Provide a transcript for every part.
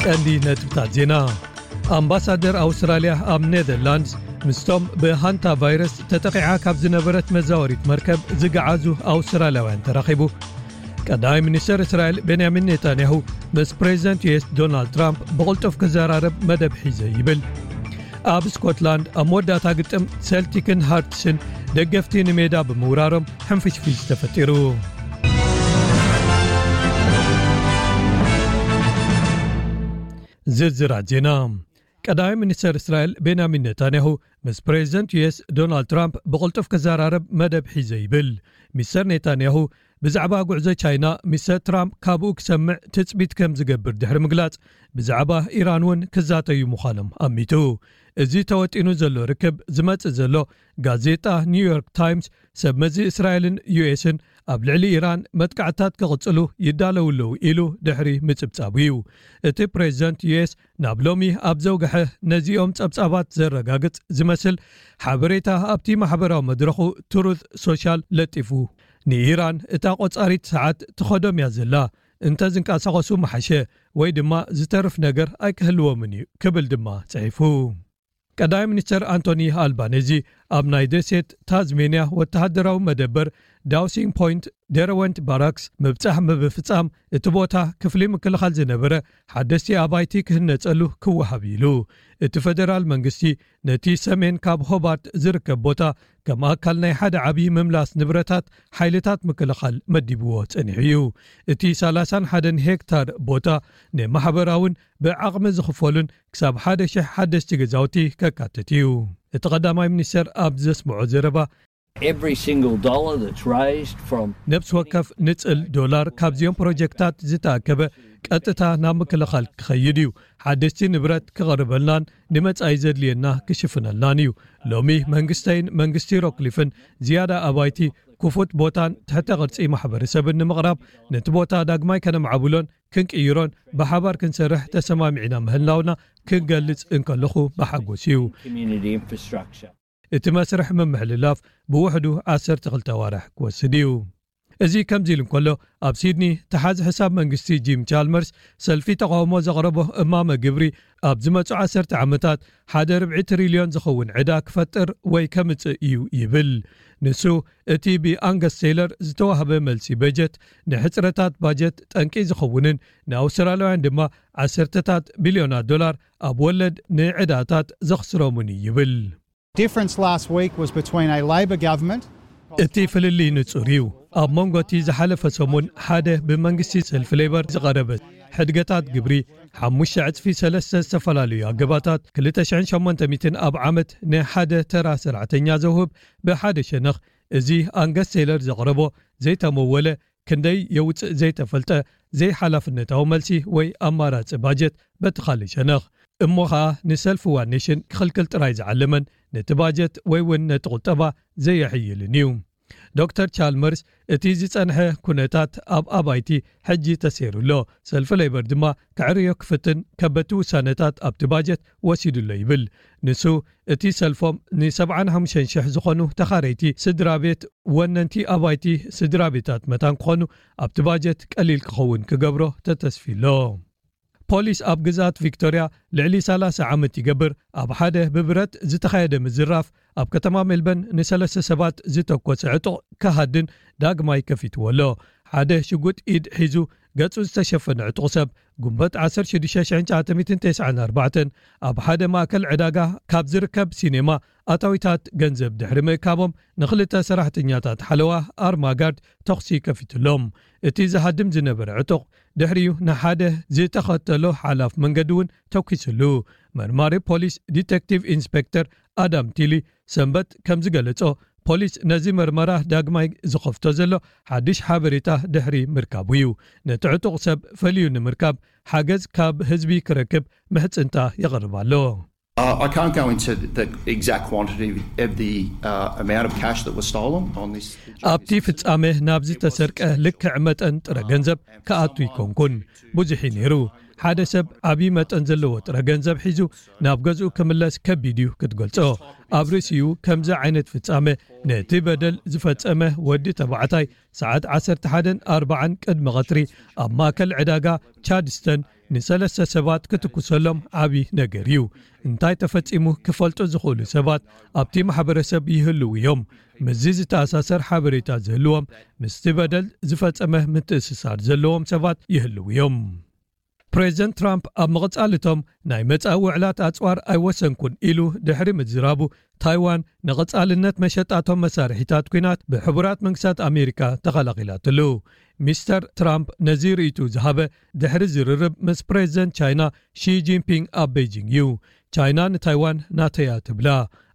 ቀንዲ ነጥብታት ዜና። ኣምባሳደር ኣውስትራልያ ኣብ ኔዘርላንድስ ምስቶም ብሃንታ ቫይረስ ተጠቒዓ ካብ ዝነበረት መዛወሪት መርከብ ዝገዓዙ ኣውስትራልያውያን ተራኺቡ። ቀዳማይ ሚኒስተር እስራኤል ቤንያሚን ኔታንያሁ ምስ ፕሬዚደንት ዩ ኤስ ዶናልድ ትራምፕ ብቕልጡፍ ክዘራረብ መደብ ሒዘ ይብል። ኣብ ስኮትላንድ ኣብ መወዳእታ ግጥም ሴልቲክን ሃርትስን ደገፍቲ ንሜዳ ብምውራሮም ሕንፍሽፍሽ ተፈጢሩ። ዝርዝራት ዜና። ቀዳማይ ሚኒስተር እስራኤል ቤንያሚን ኔታንያሁ ምስ ፕሬዚደንት ዩ ኤስ ዶናልድ ትራምፕ ብቕልጡፍ ክዘራረብ መደብ ሒዘ ይብል። ሚስተር ኔታንያሁ ብዛዕባ ጉዕዞ ቻይና ሚስተር ትራምፕ ካብኡ ክሰምዕ ትጽቢት ከም ዝገብር ድሕሪ ምግላጽ፣ ብዛዕባ ኢራን እውን ክዛተዩ ምዃኖም ኣሚቱ። እዚ ተወጢኑ ዘሎ ርክብ ዝመጽእ ዘሎ፣ ጋዜጣ ኒውዮርክ ታይምስ ሰብ መዚ እስራኤልን ዩ ኤስን ኣብ ልዕሊ ኢራን መጥቃዕትታት ክቕጽሉ ይዳለዉ ኣለዉ ኢሉ ድሕሪ ምጽብጻቡ እዩ። እቲ ፕሬዚደንት ዩ ኤስ ናብ ሎሚ ኣብ ዘውግሐ ነዚኦም ጸብጻባት ዘረጋግጽ ዝመስል ሓበሬታ ኣብቲ ማሕበራዊ መድረኹ ትሩዝ ሶሻል ለጢፉ፣ ንኢራን እታ ቆጻሪት ሰዓት ትኸዶም እያ ዘላ፣ እንተ ዝንቀሳቐሱ ምሓሸ፣ ወይ ድማ ዝተርፍ ነገር ኣይክህልዎምን እዩ ክብል ድማ ጽሒፉ። ቀዳማይ ሚኒስተር ኣንቶኒ ኣልባኔዚ ኣብ ናይ ደሴት ታዝሜንያ ወተሃደራዊ መደበር ዳውሲንግ ፖይንት ደረወንት ባራክስ ምብጻሕ ብምፍጻም፣ እቲ ቦታ ክፍሊ ምክልኻል ዝነበረ ሓደስቲ ኣባይቲ ክህነጸሉ ክወሃብ ኢሉ። እቲ ፈደራል መንግስቲ ነቲ ሰሜን ካብ ሆባርት ዝርከብ ቦታ ከም ኣካል ናይ ሓደ ዓቢ ምምላስ ንብረታት ሓይልታት ምክልኻል መዲብዎ ጸኒሑ እዩ። እቲ ሰላሳን ሓደን ሄክታር ቦታ ንማሕበራውን ብዓቕሚ ዝኽፈሉን ክሳብ ሓደ ሽሕ ሓደስቲ ገዛውቲ ከካትት እዩ። እቲ ቀዳማይ ሚኒስተር ኣብ ዘስምዖ ዘረባ፣ Every single dollar that's raised from ነብሲ ወከፍ ንጽል ዶላር ካብዚኦም ፕሮጀክታት ዝተኣከበ ቀጥታ ናብ ምክልኻል ክኸይድ እዩ። ሓደስቲ ንብረት ክቐርበልናን ንመጻኢ ዘድልየና ክሽፍነልናን እዩ። ሎሚ መንግስተይን መንግስቲ ሮክሊፍን ዝያዳ ኣባይቲ፣ ክፉት ቦታን ትሕተ ቅርጺ ማሕበረሰብን ንምቕራብ፣ ነቲ ቦታ ዳግማይ ከነምዓብሎን ክንቅይሮን ብሓባር ክንሰርሕ ተሰማሚዕና ምህላውና ክንገልጽ እንከለኹ ብሓጎስ እዩ። Community infrastructure. እቲ መስርሕ ምምሕልላፍ ብውሕዱ ዓሰርተ ክልተ ኣዋርሕ ክወስድ እዩ። እዚ ከምዚ ኢሉ እንከሎ፣ ኣብ ሲድኒ ተሓዚ ሕሳብ መንግስቲ ጂም ቻልመርስ ሰልፊ ተቓውሞ ዘቕረቦ እማመ ግብሪ ኣብ ዝመጹ ዓሰርተ ዓመታት ሓደ ርብዒ ትሪልዮን ዝኸውን ዕዳ ክፈጥር ወይ ከምጽእ እዩ ይብል። ንሱ እቲ ብኣንገስ ቴይለር ዝተዋህበ መልሲ በጀት ንሕጽረታት ባጀት ጠንቂ ዝኸውንን ንኣውስትራልያውያን ድማ ዓሰርተታት ቢልዮናት ዶላር ኣብ ወለድ ንዕዳታት ዘኽስሮምን እዩ ይብል። Difference last week was between a Labor government. እቲ ፍልልይ ንጹር እዩ። ኣብ መንጎ እቲ ዝሓለፈ ሰሙን ሓደ ብመንግስቲ ሰልፊ ሌበር ዝቐረበ ሕድገታት ግብሪ፣ ሓሙሽተ ዕጽፊ ሰለስተ ዝተፈላለዩ ኣገባታት፣ ክልተ ሽሕን ሸሞንተ ሚእትን ኣብ ዓመት ንሓደ ተራ ሰራሕተኛ ዘውህብ ብሓደ ሸነኽ፣ እዚ ኣንገስ ቴይለር ዘቕረቦ ዘይተመወለ፣ ክንደይ የውጽእ ዘይተፈልጠ ዘይሓላፍነታዊ መልሲ ወይ ኣማራጺ ባጀት በቲ ካልእ ሸነኽ። እሞ ኸኣ ንሰልፊ ዋን ኔሽን ክኽልክል ጥራይ ዝዓለመን ነቲ ባጀት ወይ እውን ነቲ ቁጠባ ዘየሕይልን እዩ። ዶክተር ቻልመርስ፣ እቲ ዝጸንሐ ኩነታት ኣብ ኣባይቲ ሕጂ ተሰይሩ ኣሎ። ሰልፊ ሌበር ድማ ክዕርዮ ክፍትን ከበድቲ ውሳነታት ኣብቲ ባጀት ወሲዱ ኣሎ ይብል። ንሱ፣ እቲ ሰልፎም ንሰብዓን ሓሙሽተን ሽሕ ዝኾኑ ተኻረይቲ ስድራ ቤት ወነንቲ ኣባይቲ ስድራ ቤታት መታን ክኾኑ ኣብቲ ባጀት ቀሊል ክኸውን ክገብሮ ተተስፊ ኣሎ። ፖሊስ ኣብ ግዝኣት ቪክቶርያ ልዕሊ ሰላሳ ዓመት ይገብር ኣብ ሓደ ብብረት ዝተኻየደ ምዝራፍ ኣብ ከተማ ሜልበርን ንሰለስተ ሰባት ዝተኮሰ ዕጡቕ ክሃድን ዳግማይ ከፊትዎ ኣሎ። ሓደ ሽጉጥ ኢድ ሒዙ ገጹ ዝተሸፈነ ዕጡቕ ሰብ፣ ጉንበት ዓሰርተ ሽዱሽተ ሽሕን ትሽዓተ ሚእትን ተስዓን ኣርባዕተን ኣብ ሓደ ማእከል ዕዳጋ ካብ ዝርከብ ሲኔማ ኣታዊታት ገንዘብ ድሕሪ ምእካቦም፣ ንኽልተ ሰራሕተኛታት ሓለዋ ኣርማጋርድ ተኹሲ ከፊትሎም። እቲ ዝሃድም ዝነበረ ዕጡቕ ድሕሪኡ ንሓደ ዝተኸተሎ ሓላፍ መንገዲ እውን ተኲስሉ። መርማሪ ፖሊስ ዲቴክቲቭ ኢንስፔክተር ኣዳም ቲሊ ሰንበት ከም ዝገለጾ፣ ፖሊስ ነዚ መርመራ ዳግማይ ዝኸፍቶ ዘሎ ሓድሽ ሓበሬታ ድሕሪ ምርካቡ እዩ። ነቲ ዕጡቕ ሰብ ፈልዩ ንምርካብ ሓገዝ ካብ ህዝቢ ክረክብ ምሕጽንታ የቕርብ ኣሎ። Uh, I can't go into the, the exact quantity of the uh, amount of cash that was stolen on this. ኣብቲ ፍጻመ ናብ ዝተሰርቀ ልክዕ መጠን ጥረ ገንዘብ ክኣቱ ይኮንኩን። ብዙሕ እዩ ነይሩ። ሓደ ሰብ ዓብዪ መጠን ዘለዎ ጥረ ገንዘብ ሒዙ ናብ ገዝኡ ክምለስ ከቢድ እዩ ክትገልጾ። ኣብ ርእሲኡ ከምዚ ዓይነት ፍጻመ ነቲ በደል ዝፈጸመ ወዲ ተባዕታይ ሰዓት ዓሰርተ ሓደን ኣርባዓን ቅድሚ ቐትሪ ኣብ ማእከል ዕዳጋ ቻድስተን ንሰለስተ ሰባት ክትኩሰሎም ዓቢ ነገር እዩ። እንታይ ተፈጺሙ ክፈልጡ ዝኽእሉ ሰባት ኣብቲ ማሕበረሰብ ይህልዉ እዮም። ምስዚ ዝተኣሳሰር ሓበሬታ ዝህልዎም ምስቲ በደል ዝፈጸመ ምትእስሳር ዘለዎም ሰባት ይህልዉ እዮም። ፕሬዚደንት ትራምፕ ኣብ ምቕጻልቶም ናይ መጻኢ ውዕላት ኣጽዋር ኣይወሰንኩን ኢሉ ድሕሪ ምዝራቡ፣ ታይዋን ንቐጻልነት መሸጣቶም መሳርሒታት ኲናት ብሕቡራት መንግስታት ኣሜሪካ ተኸላኺላትሉ። ሚስተር ትራምፕ ነዚ ርእይቱ ዝሃበ ድሕሪ ዝርርብ ምስ ፕሬዚደንት ቻይና ሺ ጂንፒንግ ኣብ ቤጂንግ እዩ። ቻይና ንታይዋን ናተያ ትብላ።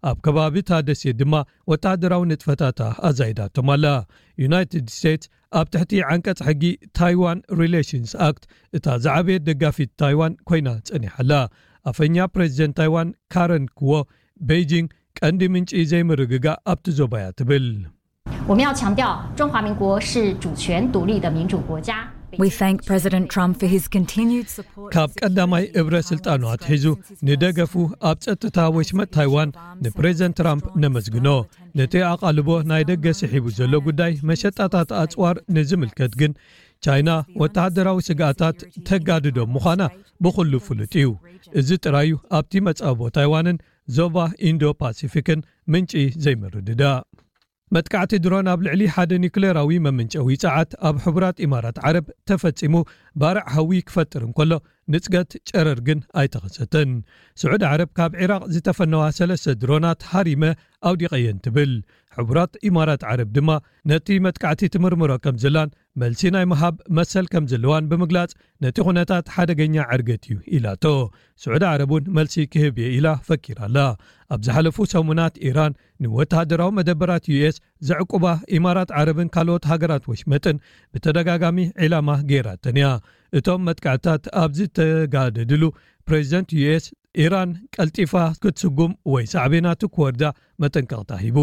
ኣብ ከባቢ እታ ደሴት ድማ ወተሃደራዊ ንጥፈታታ ኣዛይዳቶም ኣላ። ዩናይትድ ስቴትስ ኣብ ትሕቲ ዓንቀጽ ሕጊ ታይዋን ሪሌሽንስ ኣክት እታ ዝዓበየት ደጋፊት ታይዋን ኮይና ጸኒሓ ኣላ። ኣፈኛ ፕሬዚደንት ታይዋን ካረን ክዎ፣ ቤይጂንግ ቀንዲ ምንጪ ዘይምርግጋእ ኣብቲ ዞባ እያ ትብል። 我们要强调，中华民国是主权独立的民主国家。 We thank President Trump for his continued support. ካብ ቀዳማይ እብረ ስልጣኑ ኣትሒዙ ንደገፉ ኣብ ጸጥታ ወሽመጥ ታይዋን ንፕሬዚደንት ትራምፕ ነመስግኖ። ነቲ ኣቓልቦ ናይ ደገ ስሒቡ ዘሎ ጉዳይ መሸጣታት ኣጽዋር ንዝምልከት ግን፣ ቻይና ወተሃደራዊ ስግኣታት ተጋድዶ ምዃና ብኹሉ ፍሉጥ እዩ። እዚ ጥራዩ ኣብቲ መጻብቦ ታይዋንን ዞባ ኢንዶ ፓሲፊክን ምንጪ ዘይምርድዳእ። መጥቃዕቲ ድሮን ኣብ ልዕሊ ሓደ ኒክሌራዊ መምንጨዊ ጸዓት ኣብ ሕቡራት ኢማራት ዓረብ ተፈጺሙ፣ ባርዕ ሃዊ ክፈጥር እንከሎ፣ ንጽገት ጨረር ግን ኣይተኸሰተን። ስዑድ ዓረብ ካብ ዒራቕ ዝተፈነዋ ሰለስተ ድሮናት ሃሪመ ኣውዲቐየን ትብል። ሕቡራት ኢማራት ዓረብ ድማ ነቲ መጥቃዕቲ ትምርምሮ ከም ዘላን መልሲ ናይ ምሃብ መሰል ከም ዘለዋን ብምግላጽ፣ ነቲ ኩነታት ሓደገኛ ዕርገት እዩ ኢላቶ። ስዑዲ ዓረብ እውን መልሲ ክህብ እየ ኢላ ፈኪራ ኣላ። ኣብ ዝሓለፉ ሰሙናት ኢራን ንወተሃደራዊ መደበራት ዩ ኤስ ዘዕቁባ ኢማራት ዓረብን ካልኦት ሃገራት ወሽመጥን ብተደጋጋሚ ዒላማ ገይራተን እያ። እቶም መጥቃዕትታት ኣብ ዝተጋደድሉ፣ ፕሬዚደንት ዩ ኤስ ኢራን ቀልጢፋ ክትስጉም ወይ ሳዕቤናቱ ክወርዳ መጠንቀቕታ ሂቡ።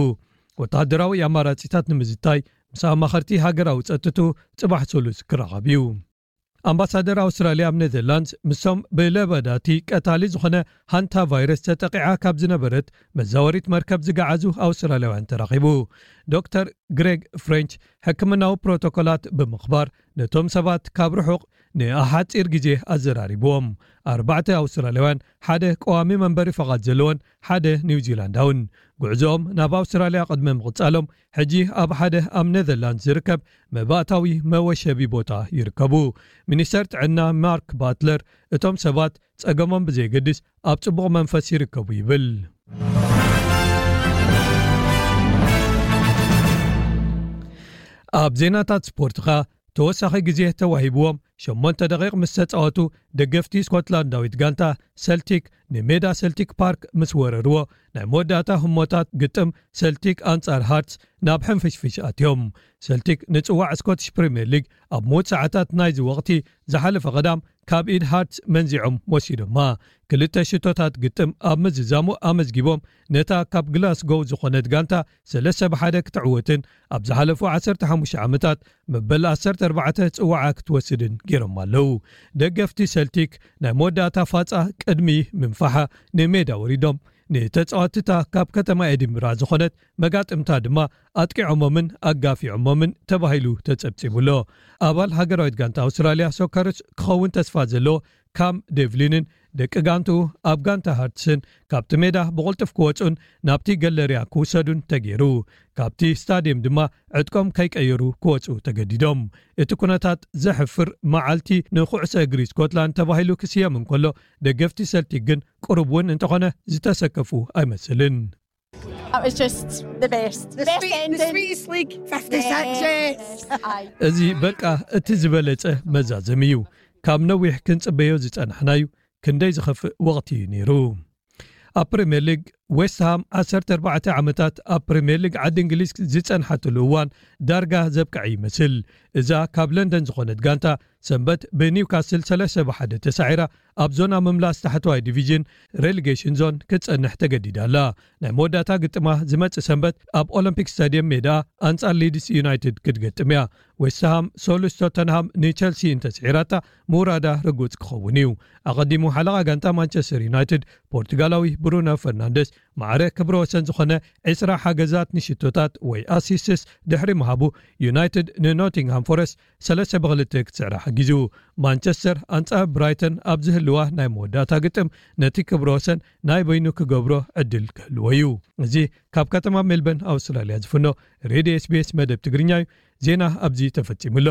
ወተሃደራዊ ኣማራጺታት ንምዝታይ ምስ ኣማኸርቲ ሃገራዊ ጸጥቱ ጽባሕ ሰሉስ ክራኸብ እዩ። ኣምባሳደር ኣውስትራልያ ኣብ ኔዘርላንድስ ምስቶም ብለበዳቲ ቀታሊ ዝኾነ ሃንታ ቫይረስ ተጠቂዓ ካብ ዝነበረት መዛወሪት መርከብ ዝገዓዙ ኣውስትራልያውያን ተራኺቡ። ዶክተር ግሬግ ፍሬንች ሕክምናዊ ፕሮቶኮላት ብምኽባር ነቶም ሰባት ካብ ርሑቕ ንኣሓጺር ግዜ ኣዘራሪብዎም። ኣርባዕተ ኣውስትራልያውያን፣ ሓደ ቀዋሚ መንበሪ ፈቓድ ዘለዎን ሓደ ኒውዚላንዳውን። ጉዕዞኦም ናብ ኣውስትራልያ ቅድሚ ምቕጻሎም፣ ሕጂ ኣብ ሓደ ኣብ ኔዘርላንድስ ዝርከብ መባእታዊ መወሸቢ ቦታ ይርከቡ። ሚኒስተር ጥዕና ማርክ ባትለር፣ እቶም ሰባት ጸገሞም ብዘየገድስ ኣብ ጽቡቕ መንፈስ ይርከቡ ይብል። ኣብ ዜናታት ስፖርት ኸኣ፣ ተወሳኺ ግዜ ተዋሂብዎም ሸሞንተ ደቂቕ ምስ ተጻወቱ፣ ደገፍቲ ስኮትላንዳዊት ጋንታ ሰልቲክ ንሜዳ ሰልቲክ ፓርክ ምስ ወረርዎ፣ ናይ መወዳእታ ህሞታት ግጥም ሰልቲክ ኣንጻር ሃርትስ ናብ ሕንፍሽፍሽ ኣትዮም። ሰልቲክ ንጽዋዕ ስኮትሽ ፕሪምየር ሊግ ኣብ ምዉት ሰዓታት ናይዚ ወቕቲ ዝሓለፈ ቀዳም ካብ ኢድ ሃርትስ መንዚዖም ወሲዶማ። ክልተ ሽቶታት ግጥም ኣብ ምዝዛሙ ኣመዝጊቦም፣ ነታ ካብ ግላስጎው ዝኾነት ጋንታ ሰለስተ ብ ሓደ ክትዕወትን ኣብ ዝሓለፉ ዓሰርተ ሓሙሽተ ዓመታት መበል ዓሰርተ ኣርባዕተ ጽዋዓ ክትወስድን ገይሮም ኣለዉ። ደገፍቲ ሰልቲክ ናይ መወዳእታ ፋጻ ቅድሚ ምንፋሓ ንሜዳ ወሪዶም፣ ንተጻወትታ ካብ ከተማ ኤዲንብራ ዝኾነት መጋጥምታ ድማ ኣጥቂዖሞምን ኣጋፊዖሞምን ተባሂሉ ተጸብጺቡ ኣሎ። ኣባል ሃገራዊት ጋንታ ኣውስትራልያ ሶከርስ ክኸውን ተስፋ ዘለዎ ካም ዴቭሊንን ደቂ ጋንትኡ ኣብ ጋንታ ሃርትስን ካብቲ ሜዳ ብቕልጡፍ ክወጹን ናብቲ ገለርያ ክውሰዱን ተገይሩ። ካብቲ ስታድየም ድማ ዕጥቆም ከይቀየሩ ክወጹ ተገዲዶም። እቲ ኩነታት ዘሕፍር መዓልቲ ንኩዕሶ እግሪ ስኮትላንድ ተባሂሉ ክስየም እንከሎ፣ ደገፍቲ ሰልቲክ ግን ቁሩብ እውን እንተኾነ ዝተሰከፉ ኣይመስልን። That was just the best. The, best sweet, the ending. Sweetest League fifty-six Yes. years. I እዚ በቃ እቲ ዝበለጸ መዛዘሚ እዩ። ካብ ነዊሕ ክንጽበዮ ዝጸናሕናዩ ክንደይ ዝኸፍእ ወቕቲ እዩ ነይሩ። ኣብ ፕሪምየር ሊግ ዌስትሃም ዓሰርተ ኣርባዕተ ዓመታት ኣብ ፕሪምየር ሊግ ዓዲ እንግሊዝ ዝጸንሓትሉ እዋን ዳርጋ ዘብቅዐ ይመስል። እዛ ካብ ለንደን ዝኾነት ጋንታ ሰንበት ብኒውካስል ሰለስተ ብሓደ ተሳዒራ ኣብ ዞና ምምላስ ታሕተዋይ ዲቪዥን ሬሊጌሽን ዞን ክትጸንሕ ተገዲዳ ኣላ። ናይ መወዳእታ ግጥማ ዝመጽእ ሰንበት ኣብ ኦሎምፒክ ስታድየም ሜዳ ኣንጻር ሊድስ ዩናይትድ ክትገጥም እያ። ዌስትሃም ሶሉስ ቶተንሃም ንቸልሲ እንተስዒራታ ምውራዳ ርጉጽ ክኸውን እዩ። ኣቐዲሙ ሓለቓ ጋንታ ማንቸስተር ዩናይትድ ፖርቱጋላዊ ብሩኖ ፈርናንደስ ማዕረ ክብረ ወሰን ዝኾነ ዕስራ ሓገዛት ንሽቶታት ወይ ኣሲስትስ ድሕሪ ምሃቡ ዩናይትድ ንኖቲንግሃም ፎረስት ሰለስተ ብክልተ ክትስዕራ ሓጊዙ። ማንቸስተር ኣንጻር ብራይተን ኣብ ዝህልዋ ናይ መወዳእታ ግጥም ነቲ ክብረ ወሰን ናይ በይኑ ክገብሮ ዕድል ክህልዎ እዩ። እዚ ካብ ከተማ ሜልበርን ኣውስትራልያ ዝፍኖ ሬድዮ ኤስቢኤስ መደብ ትግርኛ እዩ። ዜና ኣብዚ ተፈጺሙ ኣሎ።